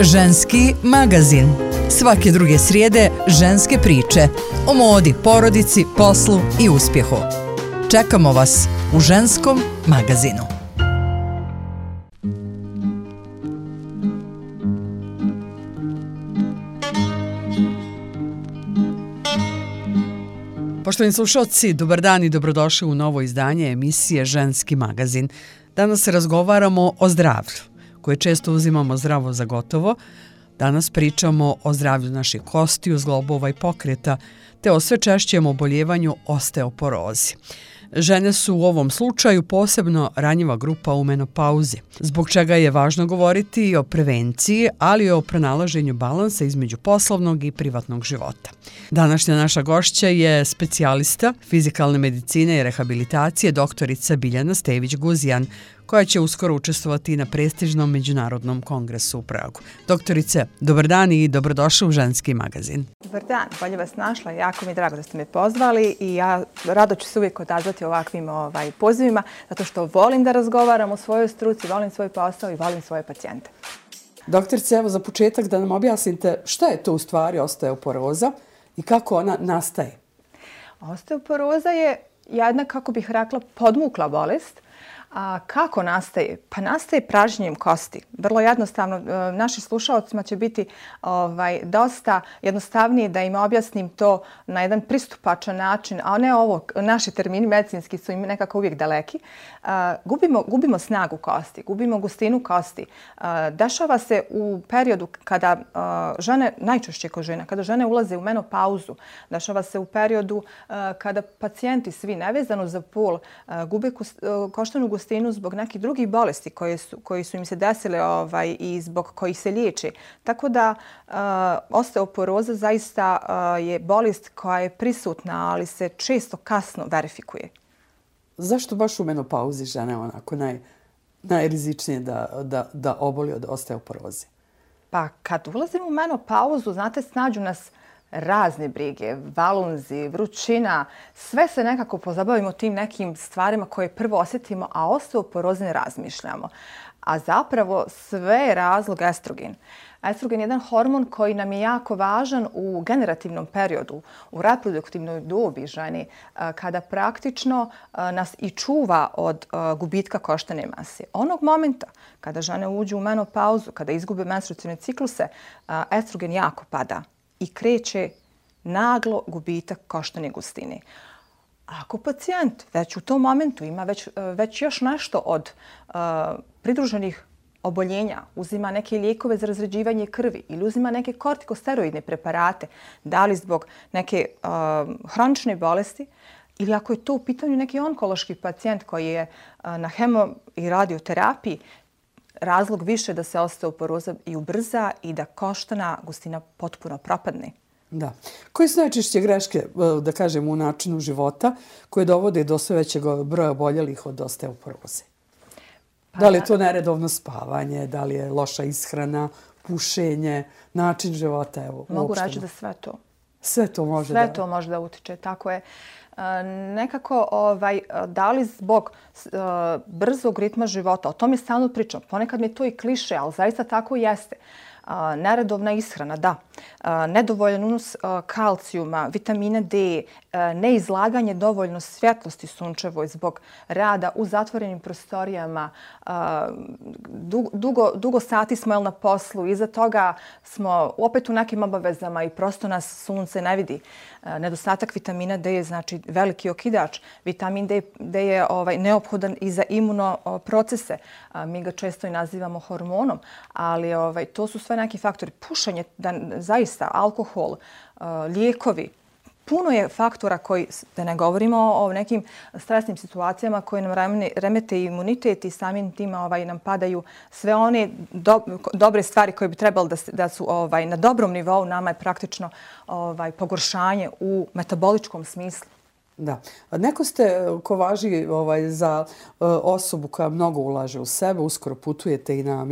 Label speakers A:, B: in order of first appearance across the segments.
A: Ženski magazin. Svake druge srijede ženske priče o modi, porodici, poslu i uspjehu. Čekamo vas u Ženskom magazinu. Poštovani slušalci, dobar dan i dobrodošli u novo izdanje emisije Ženski magazin. Danas razgovaramo o zdravlju, koje često uzimamo zdravo za gotovo. Danas pričamo o zdravlju naših kostiju, zglobova i pokreta, te o sve češćem oboljevanju osteoporozi. Žene su u ovom slučaju posebno ranjiva grupa u menopauzi, zbog čega je važno govoriti i o prevenciji, ali i o pronalaženju balansa između poslovnog i privatnog života. Današnja naša gošća je specijalista fizikalne medicine i rehabilitacije doktorica Biljana Stević-Guzijan, koja će uskoro učestvovati na prestižnom međunarodnom kongresu u Pragu. Doktorice, dobar dan i dobrodošli u Ženski magazin.
B: Dobar dan, bolje vas našla. Jako mi je drago da ste me pozvali i ja rado ću se uvijek odazvati ovakvim pozivima, zato što volim da razgovaram o svojoj struci, volim svoj posao i volim svoje pacijente.
A: Doktorice, evo za početak da nam objasnite šta je to u stvari osteoporoza i kako ona nastaje.
B: Osteoporoza je jedna, kako bih rekla, podmukla bolest. A kako nastaje? Pa nastaje pražnjenjem kosti. Vrlo jednostavno, našim slušalcima će biti dosta jednostavnije da im objasnim to na jedan pristupačan način, a ne ovo, naši termini medicinski su im nekako uvijek daleki. Gubimo snagu kosti, gubimo gustinu kosti. Dešava se u periodu kada žene, najčešće kod žena, kada žene ulaze u menopauzu, dešava se u periodu kada pacijenti svi nevezano za pol gube koštanu gustinu zbog nekih drugih bolesti koji su im se desile i zbog kojih se liječe. Tako da osteoporoza zaista je bolest koja je prisutna, ali se često kasno verifikuje.
A: Zašto baš u menopauzi žene onako najrizičnije da oboli od osteoporoze?
B: Pa kad ulazimo u menopauzu, znate, snađu nas razne brige, valunzi, vrućina, sve se nekako pozabavimo tim nekim stvarima koje prvo osjetimo, a osteoporoze ne razmišljamo. A zapravo sve je razlog estrogen. Estrogen je jedan hormon koji nam je jako važan u generativnom periodu, u reproduktivnoj dobi žene, kada praktično nas i čuva od gubitka koštane mase. Onog momenta kada žene uđu u menopauzu, kada izgube menstruacione cikluse, estrogen jako pada i kreće naglo gubitak koštane gustine. Ako pacijent već u tom momentu ima već još nešto od pridruženih oboljenja, uzima neke lijekove za razređivanje krvi ili uzima neke kortikosteroidne preparate, da li zbog neke hronične bolesti, ili ako je to u pitanju neki onkološki pacijent koji je na hemo i radioterapiji, razlog više da se osteoporoza i ubrza i da koštana gustina potpuno propadne.
A: Da. Koje su najčešće greške, da kažem, u načinu života koje dovode do sve većeg broja oboljelih od osteoporoze? Da li je to neredovno spavanje, da li je loša ishrana, pušenje, način života?
B: Mogu reći da sve to.
A: Sve to može
B: Sve to može da utiče, tako je. Nekako, da li zbog brzog ritma života, o tome stalno pričam, ponekad mi je to i kliše, ali zaista tako jeste. Neredovna ishrana, da. Nedovoljan unos kalcijuma, vitamina D, neizlaganje dovoljno svjetlosti sunčevoj zbog rada u zatvorenim prostorijama. Dugo sati smo na poslu, iza toga smo opet u nekim obavezama i prosto nas sunce ne vidi. Nedostatak vitamina D je znači veliki okidač. Vitamin D je neophodan i za imunoprocese. Mi ga često i nazivamo hormonom, ali to su sve neki faktori. Pušenje, zaista, alkohol, lijekovi. Puno je faktora koji, da ne govorimo o nekim stresnim situacijama koje nam remete imunitet i samim tim nam padaju sve one dobre stvari koje bi trebalo da su na dobrom nivou. Nama je praktično pogoršanje u metaboličkom smislu.
A: Da. Neko ste ko važi za osobu koja mnogo ulaže u sebe, uskoro putujete i na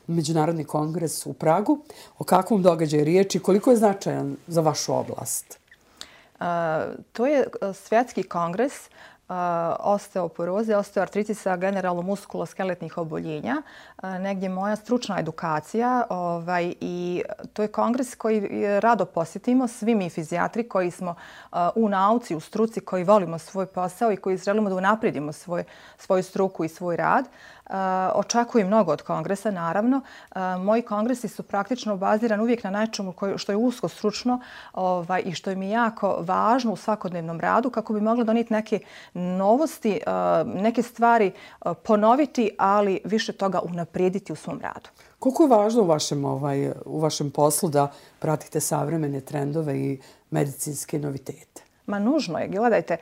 A: međunarodni kongres u Pragu. O kakvom događaju riječ i koliko je značajan za vašu oblast?
B: To je svjetski kongres osteoporoze, osteoartritisa, generalno muskuloskeletnih oboljenja. Negdje moja stručna edukacija i to je kongres koji rado posjetimo. Svi mi fizijatri koji smo u nauci, u struci, koji volimo svoj posao i koji želimo da unaprijedimo svoju struku i svoj rad. Očekujem mnogo od kongresa, naravno. Moji kongresi su praktično bazirani uvijek na nečemu što je usko stručno i što mi je jako važno u svakodnevnom radu kako bi mogla donijeti neke novosti, neke stvari ponoviti, ali više toga unaprijediti u svom radu.
A: Koliko je važno u vašem poslu da pratite savremene trendove i medicinske novitete?
B: Ma nužno je. Gledajte,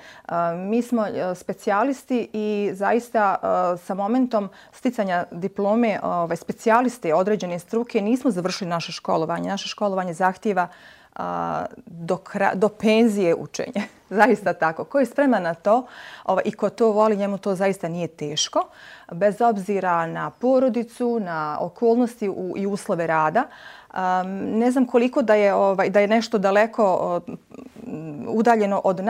B: mi smo specijalisti i zaista sa momentom sticanja diplome specijaliste određene struke nismo završili naše školovanje. Naše školovanje zahtijeva do penzije učenje. Zaista tako. Ko je spreman na to i ko to voli, njemu to zaista nije teško. Bez obzira na porodicu, na okolnosti i uslove rada. Ne znam koliko da je nešto daleko udaljeno od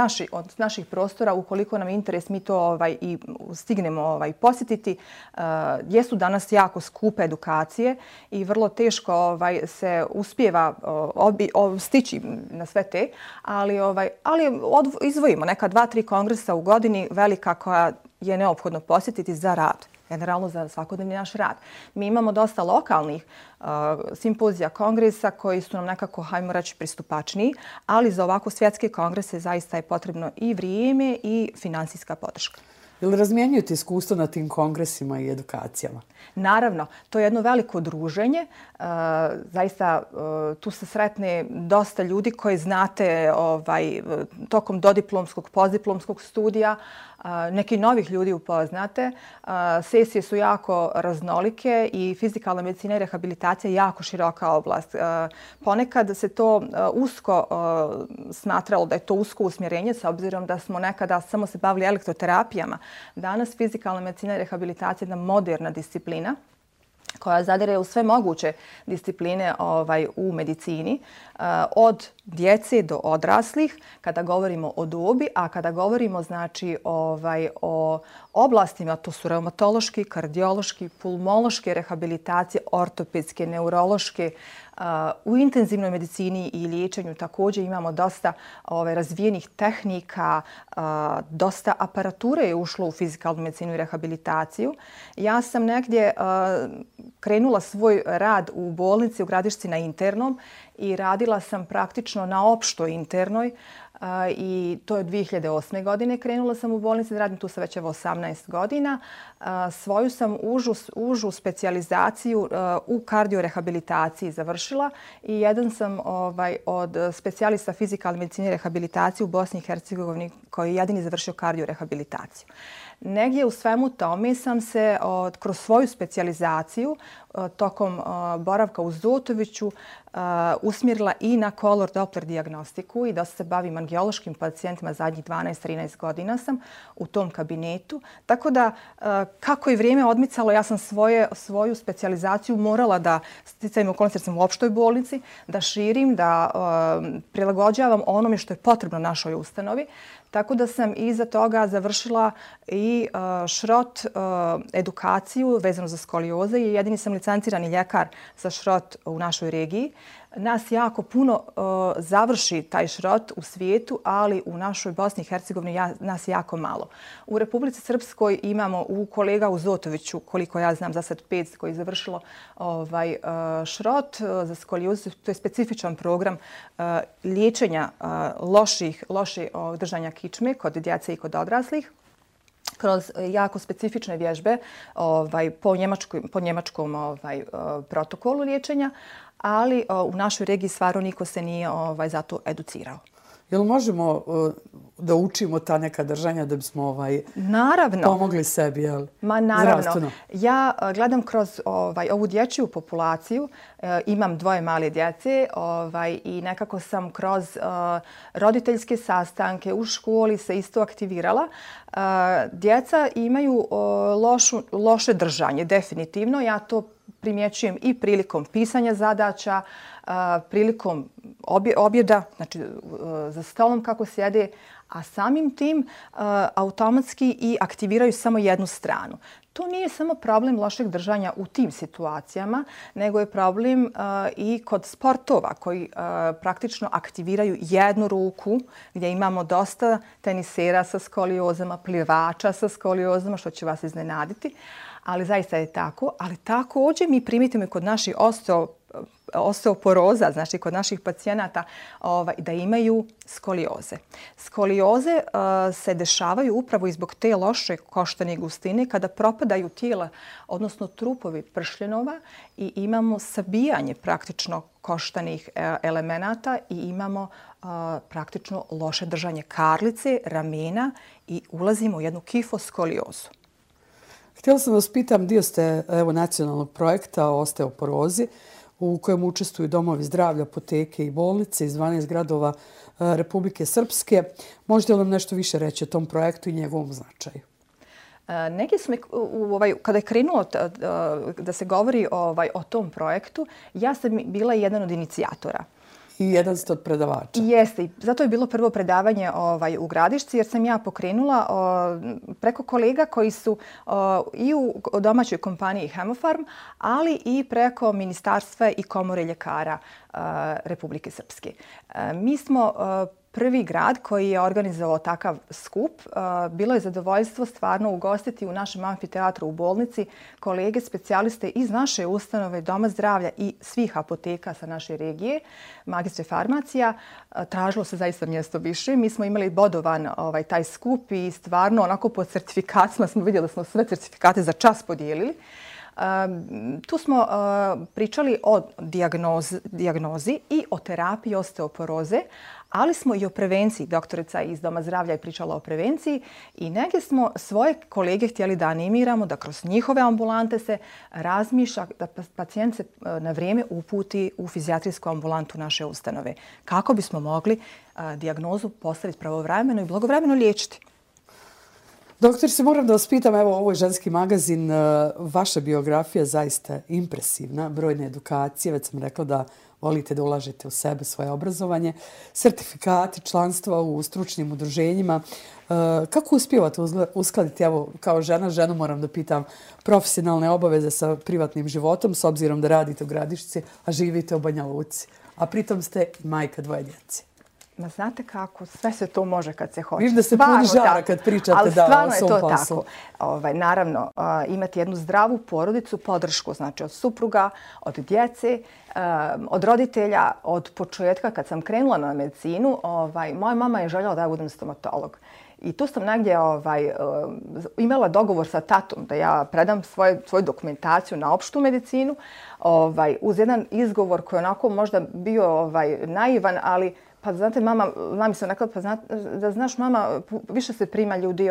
B: naših prostora, ukoliko nam je interes mi to i stignemo posjetiti. Jesu danas jako skupe edukacije i vrlo teško se uspijeva stići na sve te, ali izdvojimo neka 2-3 kongresa u godini velika koja je neophodno posjetiti za rad. Generalno za svakodnevni naš rad. Mi imamo dosta lokalnih simpozija, kongresa koji su nam nekako, hajmo reći, pristupačniji, ali za ovako svjetske kongrese zaista je potrebno i vrijeme i finansijska podrška.
A: Ili razmjenjujete iskustvo na tim kongresima i edukacijama?
B: Naravno, to je jedno veliko druženje. Zaista tu se sretne dosta ljudi koji znate tokom dodiplomskog, postdiplomskog studija. Neki novih ljudi upoznate. Sesije su jako raznolike i fizikalna medicina i rehabilitacija je jako široka oblast. Ponekad se to usko smatralo da je to usko usmjerenje s obzirom da smo nekada samo se bavili elektroterapijama. Danas fizikalna medicina i rehabilitacija je jedna moderna disciplina koja zadire u sve moguće discipline u medicini, od djece do odraslih, kada govorimo o dobi, a kada govorimo o oblastima, to su reumatološki, kardiološki, pulmološke rehabilitacije, ortopedske, neurološke. U intenzivnoj medicini i liječenju također imamo dosta razvijenih tehnika, dosta aparature je ušlo u fizikalnu medicinu i rehabilitaciju. Ja sam negdje krenula svoj rad u bolnici u Gradišci na internom i radila sam praktično na opštoj internoj i to je 2008. godine. Krenula sam u bolnici da radim tu sa već 18 godina. Svoju sam užu specijalizaciju u kardiorehabilitaciji završila i jedan sam od specijalista fizikalne medicine i rehabilitacije u Bosni i Hercegovini koji je jedini završio kardiorehabilitaciju. Negdje u svemu tome sam se kroz svoju specijalizaciju tokom boravka u Zotoviću usmjerila i na color Doppler dijagnostiku i da se bavim angiološkim pacijentima zadnjih 12-13 godina sam u tom kabinetu. Tako da kako je vrijeme odmicalo, ja sam svoju specijalizaciju morala da sticajem okolnosti jer sam u opštoj bolnici, da širim, da prilagođavam onome što je potrebno našoj ustanovi. Tako da sam iza toga završila i šrot edukaciju vezano za skolioze i jedini sam licencirani ljekar za šrot u našoj regiji. Nas jako puno završi taj šrot u svijetu, ali u našoj Bosni i Hercegovini nas jako malo. U Republici Srpskoj imamo kolega u Zotoviću, koliko ja znam za sad 5 koji je završilo šrot za skoliozu. To je specifičan program liječenja loše držanja kičme kod djece i kod odraslih kroz jako specifične vježbe po njemačkom protokolu liječenja, ali u našoj regiji stvarno niko se nije za to educirao.
A: Jel možemo da učimo ta neka držanja da bismo pomogli sebi, jel?
B: Ma naravno.
A: Zdravstveno.
B: Ja gledam kroz ovu dječju populaciju, imam 2 male djece i nekako sam kroz roditeljske sastanke u školi se isto aktivirala. Djeca imaju loše držanje, definitivno. Ja to primjećujem i prilikom pisanja zadaća, prilikom objeda, znači za stolom kako sjede, a samim tim automatski i aktiviraju samo jednu stranu. To nije samo problem lošeg držanja u tim situacijama, nego je problem i kod sportova koji praktično aktiviraju jednu ruku, gdje imamo dosta tenisera sa skoliozama, plivača sa skoliozama, što će vas iznenaditi. Ali zaista je tako. Ali također mi primetimo i kod naših osteoporoza, znači kod naših pacijenata, da imaju skolioze. Skolioze se dešavaju upravo i zbog te loše koštane gustine kada propadaju tijela, odnosno trupovi pršljenova i imamo sabijanje praktično koštanih elemenata i imamo praktično loše držanje karlice, ramena i ulazimo u jednu kifoskoliozu.
A: Htjela sam vas pitam, dio ste nacionalnog projekta o osteoporozi u kojem učestvuju domovi zdravlja, apoteke i bolnice iz 12 gradova Republike Srpske. Možete li nam nešto više reći o tom projektu i njegovom značaju?
B: Neki smo, kada je krenulo da se govori o tom projektu, ja sam bila jedan od inicijatora.
A: I jedan ste od predavača.
B: Jeste. Zato je bilo prvo predavanje u Gradišci jer sam ja pokrenula preko kolega koji su i u domaćoj kompaniji Hemofarm, ali i preko Ministarstva i Komore ljekara Republike Srpske. Mi smo prvi grad koji je organizovao takav skup. Bilo je zadovoljstvo stvarno ugostiti u našem amfiteatru u bolnici kolege specijaliste iz naše ustanove Doma zdravlja i svih apoteka sa naše regije, magistre farmacija. Tražilo se zaista mjesto više. Mi smo imali bodovan taj skup i stvarno onako po certifikatima smo vidjeli da smo sve certifikate za čas podijelili. Tu smo pričali o dijagnozi i o terapiji osteoporoze, ali smo i o prevenciji. Doktorica iz Doma zdravlja je pričala o prevenciji i negdje smo svoje kolege htjeli da animiramo, da kroz njihove ambulante se razmišlja, da pacijent se na vrijeme uputi u fizijatrijsku ambulantu naše ustanove. Kako bismo mogli dijagnozu postaviti pravovremeno i blagovremeno liječiti.
A: Doktor, se moram da vas pitam, evo, ovo je Ženski magazin, vaša biografija je zaista impresivna, brojne edukacije, već sam rekla da volite da ulažete u sebe, svoje obrazovanje, sertifikati, članstva u stručnim udruženjima. Kako uspijevate uskladiti, evo, kao ženu moram da pitam, profesionalne obaveze sa privatnim životom, s obzirom da radite u Gradišci, a živite u Banja Luci, a pritom ste i majka dvoje djece?
B: Ma znate kako, sve se to može kad se hoće.
A: Viš da se puni žara kad pričate da o svom poslu. Ali stvarno
B: je to tako. Naravno, imati jednu zdravu porodicu, podršku, znači od supruga, od djece, od roditelja, od početka kad sam krenula na medicinu, moja mama je željela da ja budem stomatolog. I tu sam negdje imala dogovor sa tatom da ja predam svoju dokumentaciju na opštu medicinu uz jedan izgovor koji je onako možda bio naivan, ali pa znate, mami sam rekla, da znaš mama, više se prima ljudi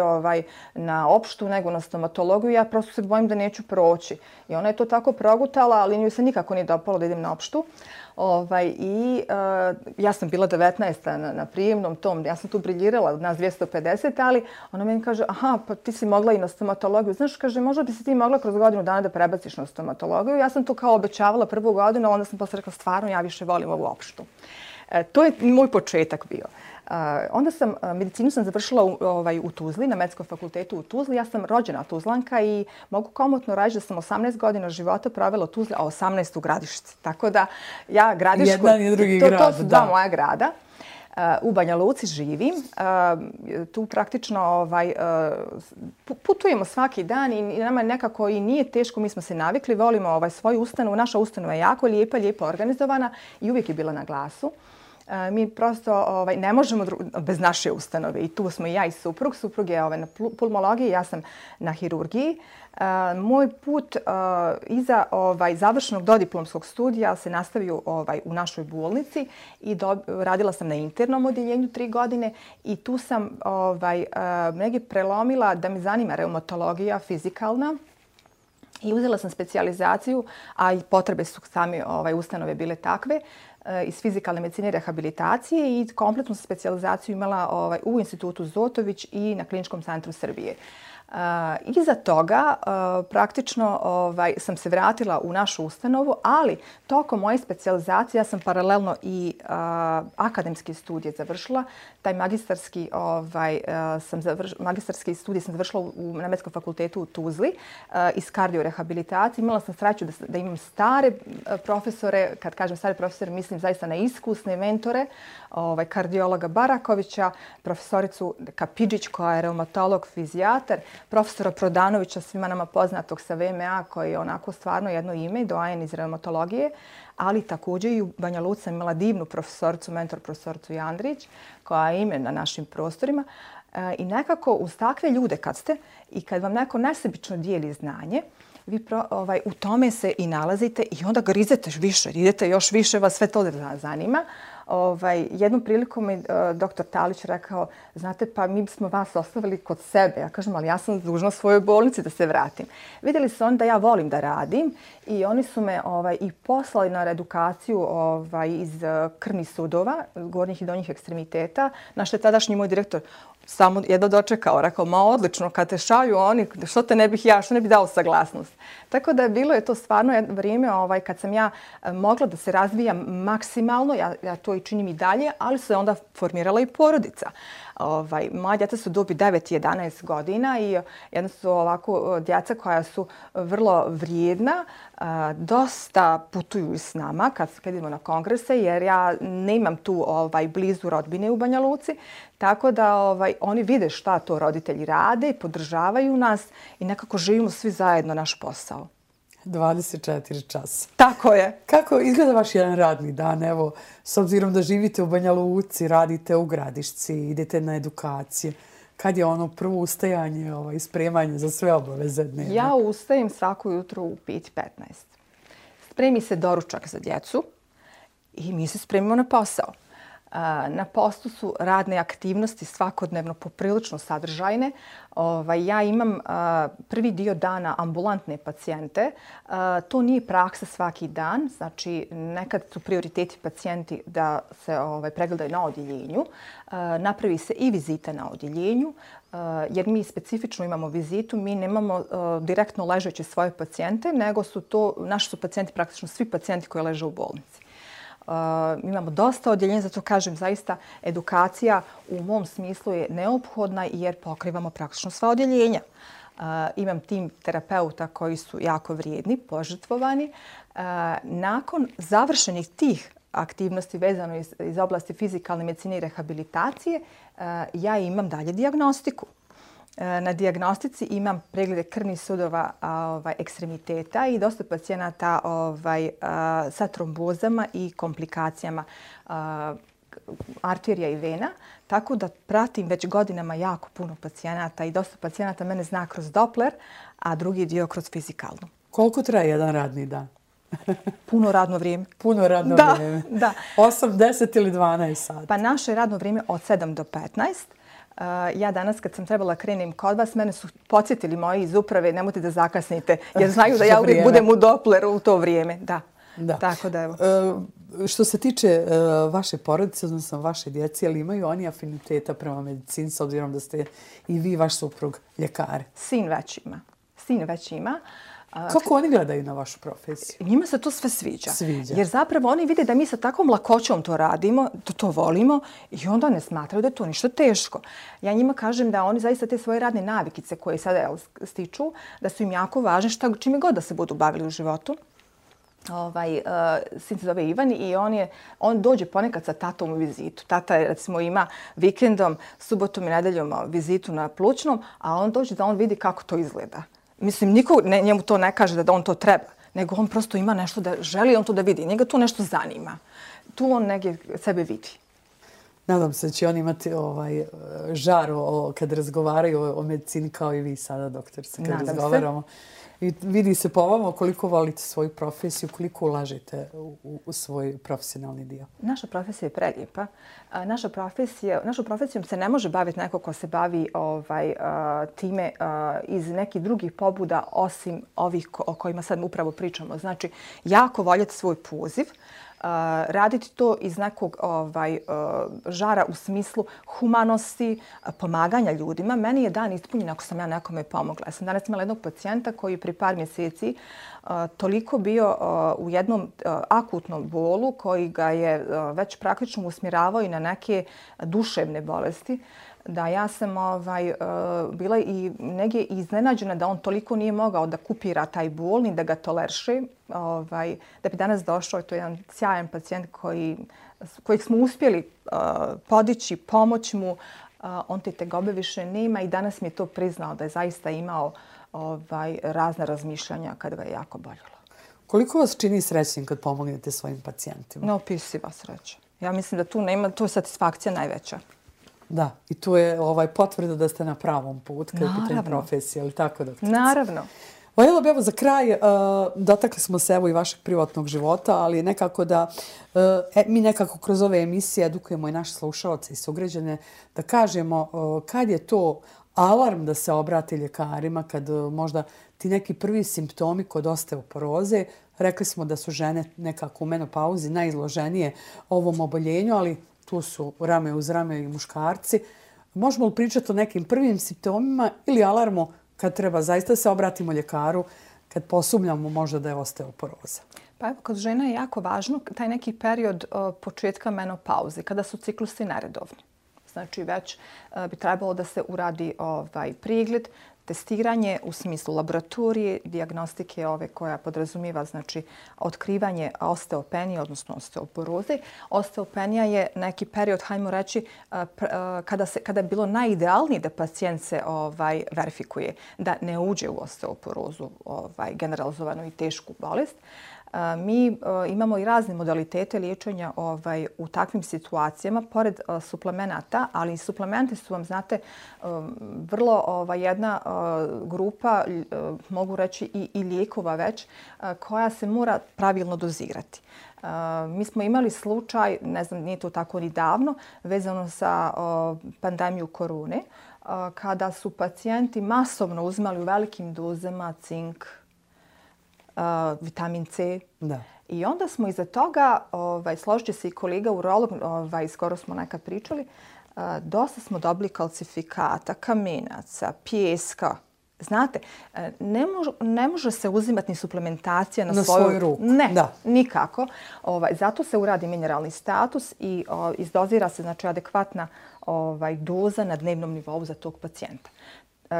B: na opštu nego na stomatologiju, ja prosto se bojim da neću proći. I ona je to tako progutala, ali nju se nikako nije dopalo da idem na opštu. Ja sam bila 19. na prijemnom tom, ja sam tu briljirala od nas 250, ali ona meni kaže, aha, pa ti si mogla i na stomatologiju. Znaš, kaže, možda bi se ti mogla kroz godinu dana da prebaciš na stomatologiju. Ja sam to kao obećavala prvu godinu, ali onda sam posle rekla, stvarno, ja više volim ovu opštu. To je moj početak bio. Onda medicinu sam završila u Tuzli, na Medicinskom fakultetu u Tuzli. Ja sam rođena Tuzlanka i mogu komotno reći da sam 18 godina života provela u Tuzli, a 18 u Gradišci. Tako da ja Gradišku...
A: Jedan i drugi grad,
B: to su dva moja grada. U Banja Luci živim. Tu praktično putujemo svaki dan i nama nekako i nije teško. Mi smo se navikli, volimo svoju ustanovu. Naša ustanova je jako lijepo organizovana i uvijek je bila na glasu. Mi prosto ne možemo bez naše ustanove i tu smo i ja i suprug. Suprug je na pulmologiji, ja sam na hirurgiji. Moj put iza završenog dodiplomskog studija se nastavio u našoj bolnici i radila sam na internom odjeljenju 3 godine i tu sam negdje prelomila da me zanima reumatologija fizikalna. I uzela sam specijalizaciju, a i potrebe su same ustanove bile takve, iz fizikalne medicine i rehabilitacije i kompletnu specijalizaciju imala u Institutu Zotović i na Kliničkom centru Srbije. Iza toga praktično sam se vratila u našu ustanovu, ali tokom moje specijalizacije ja sam paralelno i akademski studije završila. Taj magistarski studij sam završila na Medicinskom fakultetu u Tuzli iz kardiorehabilitacije. Imala sam sreću da imam stare profesore, kad kažem stare profesore mislim zaista na iskusne mentore, kardiologa Barakovića, profesoricu Kapidžić koja je reumatolog, fizijatar, profesora Prodanovića, svima nama poznatog sa VMA koji je onako stvarno jedno ime, doajen iz reumatologije, ali također i u Banja Luci sam imala divnu profesoricu, mentor profesoricu Jandrić, koja je ime na našim prostorima. I nekako uz takve ljude kad ste i kad vam neko nesebično dijeli znanje, vi u tome se i nalazite i onda grizete više, idete još više, vas sve to zanima. Jednom prilikom mi doktor Talić rekao, znate, pa mi smo vas ostavili kod sebe. Ja kažem, ali ja sam dužna svojoj bolnici da se vratim. Vidjeli su oni da ja volim da radim i oni su me i poslali na edukaciju iz krvnih sudova, gornjih i donjih ekstremiteta, na što je tadašnji moj direktor samo jedno dočekao. Rekao, ma odlično, kad te šalju oni, što te ne bih ja, što ne bih dao saglasnost. Tako da bilo je to stvarno jedno vrijeme kad sam ja mogla da se razvijam maksimalno, ja to i činim i dalje, ali se onda formirala i porodica. Moja djeca su dobi 9 i 11 godina i jedna su ovako djeca koja su vrlo vrijedna, dosta putuju s nama kad idemo na kongrese jer ja nemam tu blizu rodbine u Banja Luci, tako da oni vide šta to roditelji rade, podržavaju nas i nekako živimo svi zajedno naš posao.
A: 24 časa.
B: Tako je.
A: Kako izgleda vaš jedan radni dan? Evo, s obzirom da živite u Banja Luci, radite u Gradišci, idete na edukacije. Kad je ono prvo ustajanje i spremanje za sve obaveze dnevne?
B: Ja ustajem svako jutro u 5:15. Spremi se doručak za djecu i mi se spremimo na posao. Na poslu su radne aktivnosti svakodnevno poprilično sadržajne. Ja imam prvi dio dana ambulantne pacijente. To nije praksa svaki dan. Znači, nekad su prioriteti pacijenti da se pregledaju na odjeljenju. Napravi se i vizita na odjeljenju, jer mi specifično imamo vizitu. Mi nemamo direktno ležeće svoje pacijente, nego naši su pacijenti praktično svi pacijenti koji leže u bolnici. Imamo dosta odjeljenja, zato kažem zaista edukacija u mom smislu je neophodna jer pokrivamo praktično sva odjeljenja. Imam tim terapeuta koji su jako vrijedni, požrtvovani. Nakon završenih tih aktivnosti vezano iz oblasti fizikalne medicine i rehabilitacije, ja imam dalje dijagnostiku. Na dijagnostici imam preglede krvnih sudova ekstremiteta i dosta pacijenata sa trombozama i komplikacijama arterija i vena. Tako da pratim već godinama jako puno pacijenata i dosta pacijenata mene zna kroz Doppler, a drugi dio kroz fizikalnu.
A: Koliko traje jedan radni dan?
B: Puno radno vrijeme.
A: Puno radno vrijeme.
B: Da.
A: 8, 10 ili 12 sati?
B: Pa naše radno vrijeme od 7 do 15. Ja danas kad sam trebala krenem kod vas, mene su podsjetili moji iz uprave, nemojte da zakasnite, jer znaju da ja uvijek budem u Doppleru u to vrijeme. Da. Tako da evo.
A: Što se tiče vaše porodice, odnosno vaše djece, ali imaju oni afiniteta prema medicini, s obzirom da ste i vi, vaš suprug, ljekari?
B: Sin već ima.
A: Kako oni gledaju na vašu profesiju?
B: Njima se to sve sviđa. Jer zapravo oni vide da mi sa takvom lakoćom to radimo, da to volimo i onda ne smatraju da je to ništa teško. Ja njima kažem da oni zaista te svoje radne navikice koje sada stiču, da su im jako važne čime god da se budu bavili u životu. Sin se zove Ivan i on dođe ponekad sa tatom u vizitu. Tata recimo ima vikendom, subotom i nedeljom vizitu na plućnom, a on dođe da on vidi kako to izgleda. Mislim, niko njemu to ne kaže da on to treba, nego on prosto ima nešto da želi, on to da vidi. Njega to nešto zanima. Tu on negdje sebe vidi.
A: Nadam se da će on imati žar kad razgovaraju o medicini kao i vi sada, doktorice, kad razgovaramo. I vidi se po vama koliko volite svoju profesiju, koliko ulažete u svoj profesionalni dio.
B: Naša profesija je prelijepa. Našom profesijom se ne može baviti neko ko se bavi time iz nekih drugih pobuda osim ovih o kojima sad upravo pričamo. Znači, jako voljeti svoj poziv, raditi to iz nekog žara u smislu humanosti, pomaganja ljudima. Meni je dan ispunjen ako sam ja nekome pomogla. Ja sam danas imala jednog pacijenta koji pri par mjeseci toliko bio u jednom akutnom bolu koji ga je već praktično usmjeravao i na neke duševne bolesti, da ja sam bila i negdje iznenađena da on toliko nije mogao da kupira taj bol ni da ga tolerše. Da bi danas došao, to je jedan sjajan pacijent kojeg smo uspjeli podići, pomoć mu. On te tegobe više nema i danas mi je to priznao da je zaista imao razne razmišljanja kad ga je jako boljelo.
A: Koliko vas čini srećnim kad pomognete svojim pacijentima?
B: Neopisiva sreća. Ja mislim da tu nema, to je satisfakcija najveća.
A: Da, i tu je potvrda da ste na pravom putu kad je pitanje profesije, ali tako doktorice?
B: Naravno.
A: Voljela bi za kraj, dotakli smo se i vašeg privatnog života, ali nekako da mi nekako kroz ove emisije edukujemo i naše slušalce i sugrađane da kažemo kad je to alarm da se obrati ljekarima, kad možda ti neki prvi simptomi kod osteoporoze, rekli smo da su žene nekako u menopauzi najizloženije ovom oboljenju, ali tu su rame uz rame i muškarci. Možemo li pričati o nekim prvim simptomima ili alarmu kad treba zaista se obratimo ljekaru, kad posumnjamo možda da je osteoporoza?
B: Pa evo, kod žena je jako važno taj neki period početka menopauze, kada su ciklusi neredovni. Znači već bi trebalo da se uradi pregled, testiranje u smislu laboratorije, dijagnostike koja podrazumijeva znači otkrivanje osteopenije, odnosno osteoporoze. Osteopenija je neki period, hajmo reći, kada je bilo najidealnije da pacijent se verifikuje, da ne uđe u osteoporozu, generalizovanu i tešku bolest. Mi imamo i razne modalitete liječenja u takvim situacijama, pored suplemenata, ali suplementi su vam, znate, vrlo jedna grupa, mogu reći i lijekova već, koja se mora pravilno dozirati. Mi smo imali slučaj, ne znam, nije to tako ni davno, vezano sa pandemiju korone, kada su pacijenti masovno uzimali u velikim dozama cink, vitamin C.
A: Da.
B: I onda smo iza toga, složit će se i kolega urolog, skoro smo nekad pričali, dosta smo dobili kalcifikata, kamenaca, pijeska. Znate, ne može se uzimati ni suplementacija na svoju
A: ruku.
B: Ne, da. Nikako. Zato se uradi mineralni status i izdozira se znači, adekvatna doza na dnevnom nivou za tog pacijenta.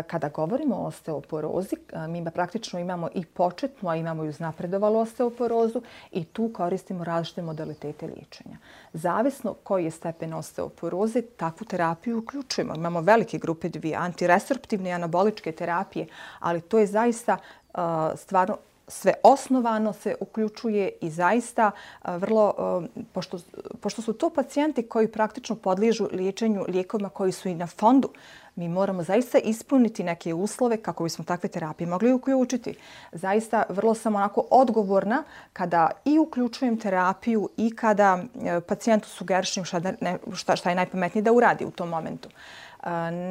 B: Kada govorimo o osteoporozi, mi praktično imamo i početnu, a imamo i uznapredovalu osteoporozu i tu koristimo različite modalitete liječenja. Zavisno koji je stepen osteoporoze, takvu terapiju uključujemo. Imamo velike grupe dvije, antiresorptivne i anaboličke terapije, ali to je zaista stvarno sve osnovano se uključuje i zaista vrlo, pošto su to pacijenti koji praktično podliježu liječenju lijekovima koji su i na fondu, mi moramo zaista ispuniti neke uslove kako bismo takve terapije mogli uključiti. Zaista vrlo sam onako odgovorna kada i uključujem terapiju i kada pacijentu sugerišem šta je najpametnije da uradi u tom momentu.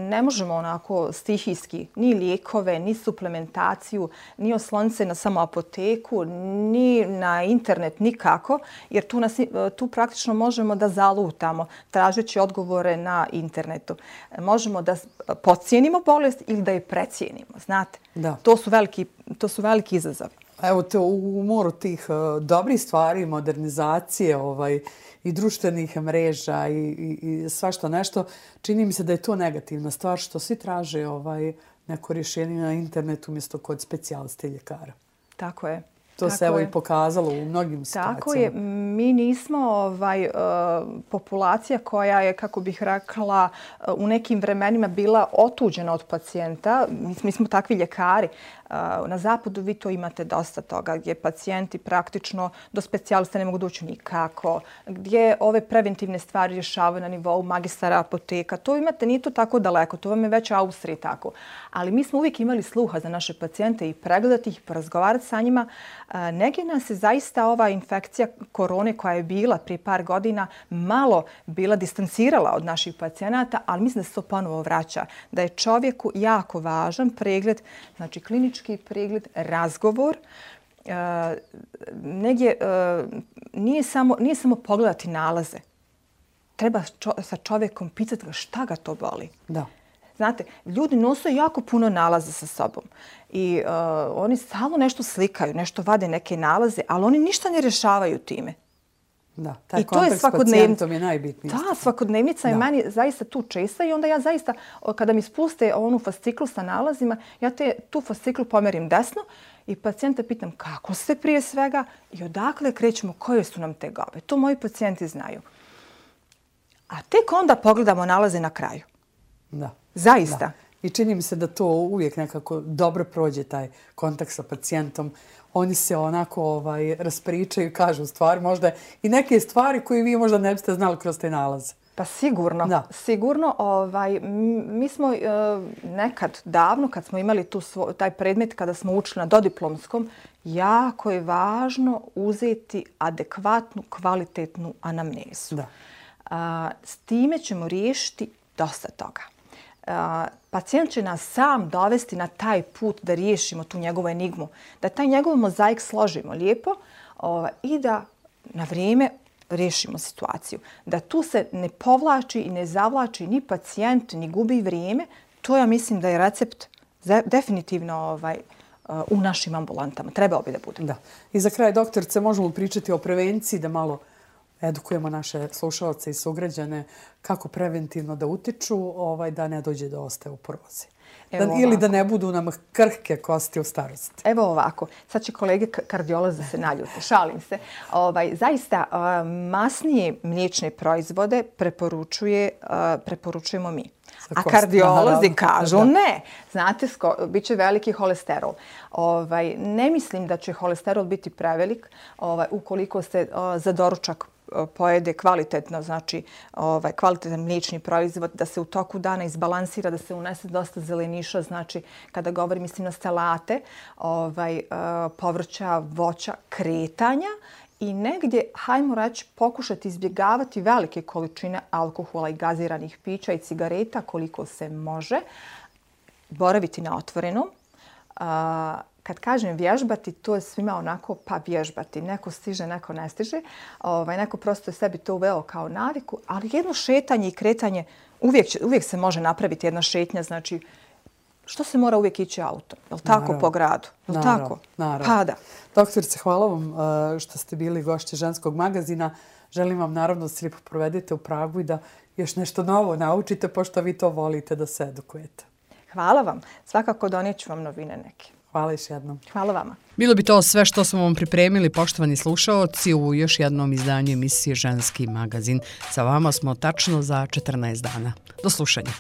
B: Ne možemo onako stihijski ni lijekove, ni suplementaciju, ni osloniti se na samo apoteku, ni na internet, nikako, jer tu praktično možemo da zalutamo tražeći odgovore na internetu. Možemo da podcijenimo bolest ili da je precijenimo, znate.
A: Da.
B: To su veliki izazovi.
A: Evo te u moru tih dobrih stvari, modernizacije i društvenih mreža i svašta nešto, čini mi se da je to negativna stvar što svi traže neko rješenje na internetu umjesto kod specijaliste ljekara.
B: Tako je.
A: To se evo i pokazalo u mnogim situacijama.
B: Tako je. Mi nismo populacija koja je, kako bih rekla, u nekim vremenima bila otuđena od pacijenta. Mi smo takvi ljekari. Na zapadu vi to imate dosta toga gdje pacijenti praktično do specijalista ne mogu doći nikako, gdje ove preventivne stvari rješavaju na nivou magistara apoteka. To imate, nije to tako daleko, to vam je već u Austriji tako. Ali mi smo uvijek imali sluha za naše pacijente i pregledati ih, porazgovarati sa njima. Negdje nas je zaista ova infekcija korone koja je bila prije par godina malo bila distancirala od naših pacijenata, ali mislim da se to ponovo vraća. Da je čovjeku jako važan pregled, znači klinički pregled, razgovor. Negdje nije samo pogledati nalaze. Treba sa čovjekom pitati ga šta ga to boli.
A: Da.
B: Znate, ljudi nose jako puno nalaza sa sobom i oni stalno nešto slikaju, nešto vade neke nalaze, ali oni ništa ne rješavaju time.
A: Da, taj kontakt s pacijentom je najbitniji.
B: Da, svakodnevnica je meni zaista tu česta i onda ja zaista, kada mi spuste onu fasciklu sa nalazima, ja tu fasciklu pomerim desno i pacijenta pitam kako ste prije svega i odakle krećemo, koje su nam tegobe. To moji pacijenti znaju. A tek onda pogledamo nalaze na kraju.
A: Da.
B: Zaista.
A: Da. I čini mi se da to uvijek nekako dobro prođe taj kontakt sa pacijentom. Oni se onako raspričaju i kažu stvari, možda i neke stvari koje vi možda ne biste znali kroz te nalaze.
B: Pa sigurno.
A: Da.
B: Sigurno. Mi smo nekad davno, kad smo imali taj predmet, kada smo učili na dodiplomskom, jako je važno uzeti adekvatnu, kvalitetnu anamnezu.
A: Da.
B: S time ćemo riješiti dosta toga. Pacijent će nas sam dovesti na taj put da riješimo tu njegovu enigmu, da taj njegov mozaik složimo lijepo i da na vrijeme riješimo situaciju. Da tu se ne povlači i ne zavlači ni pacijent, ni gubi vrijeme. To ja mislim da je recept definitivno u našim ambulantama. Trebao bi da bude.
A: Da. I za kraj, doktorice, možemo pričati o prevenciji, da malo edukujemo naše slušalce i sugrađane kako preventivno da utiču da ne dođe do osteoporoze. Ili da ne budu nam krhke kosti u starosti.
B: Evo ovako, sad će kolege kardiolozi da se naljute, šalim se. Zaista masnije mliječne proizvode preporučujemo mi. A kardiolozi kažu ne. Znate, bit će veliki holesterol. Ne mislim da će holesterol biti prevelik ukoliko se za doručak pojede kvalitetno, znači kvalitetan mliječni proizvod, da se u toku dana izbalansira, da se unese dosta zeleniša, znači kada govorim mislim na salate, povrća, voća, kretanja i negdje, hajmo reći, pokušati izbjegavati velike količine alkohola i gaziranih pića i cigareta koliko se može, boraviti na otvorenom. Kad kažem vježbati, to je svima onako pa vježbati. Neko stiže, neko ne stiže. Neko prosto je sebi to uveo kao naviku, ali jedno šetanje i kretanje, uvijek se može napraviti jedna šetnja. Znači, što se mora uvijek ići autom? Je li tako po gradu? Je li tako? Pa da.
A: Doktorice, hvala vam što ste bili gošće Ženskog magazina. Želim vam naravno da se lijepo provedete u Pragu i da još nešto novo naučite, pošto vi to volite da se edukujete.
B: Hvala vam. Svakako donijeću vam novine neke.
A: Hvala još jednom.
B: Hvala vama.
A: Bilo bi to sve što smo vam pripremili, poštovani slušaoci, u još jednom izdanju emisije Ženski magazin. Sa vama smo tačno za 14 dana. Do slušanja.